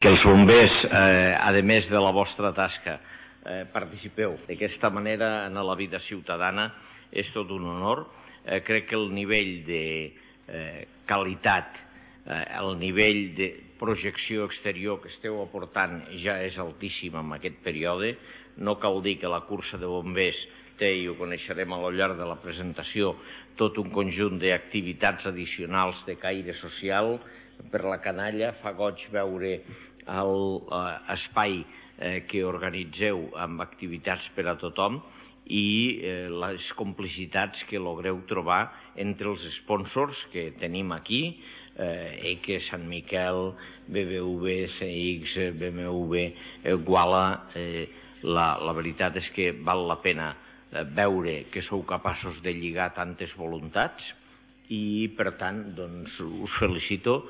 que els bombers, a més de la vostra tasca, participeu d'aquesta manera en la vida ciutadana és tot un honor. Crec que el nivell de qualitat, el nivell de projecció exterior que esteu aportant ja és altíssim en aquest període. No cal dir que la cursa de bombers té, i ho coneixerem al llarg de la presentació, tot un conjunt d'activitats addicionals de caire social per la canalla. Fa goig veure l'espai que organitzeu amb activitats per a tothom i les complicitats que logreu trobar entre els sponsors que tenim aquí, que Sant Miquel, BBV, CX, BMW, Guala. La veritat és que val la pena veure que sou capaços de lligar tantes voluntats i, per tant, us felicito.